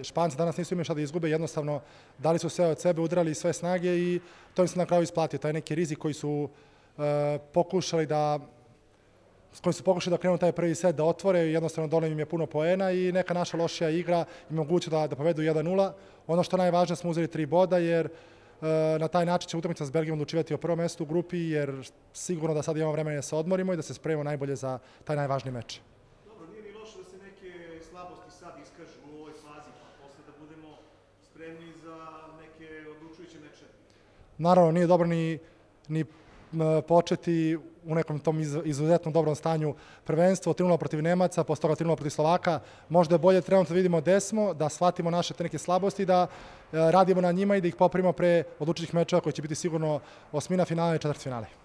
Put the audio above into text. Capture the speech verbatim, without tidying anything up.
Španci danas nisu imali šta da izgube, jednostavno dali su sve od sebe, udrali sve snage i to im se na kraju isplatio. Taj neki rizik koji su e, pokušali da s kojim su pokušali da krenu taj prvi set da otvore, jednostavno doneli im je puno poena i neka naša lošija igra im moguće da, da povedu jedan nula. Ono što najvažnije smo uzeli tri boda jer e, na taj način će utakmica s Belgijom odlučivati o prvom mestu u grupi jer sigurno da sad imamo vremena da se odmorimo i da se spremimo najbolje za taj najvažniji meč. Dobro, nije ni loše da se neke slabosti sad iskažu u ovoj fazi, pa posle da budemo spremni za neke odlučujuće meče. Naravno, nije dobro ni, ni početi u nekom tom izuzetno dobrom stanju prvenstvo, tri nula protiv Nemaca, posle toga tri nula protiv Slovaka. Možda je bolje trenutno da vidimo gde smo, da shvatimo naše te neke slabosti, da radimo na njima i da ih popravimo pre odlučujućih mečeva koji će biti sigurno osmina finale i četvrtfinale.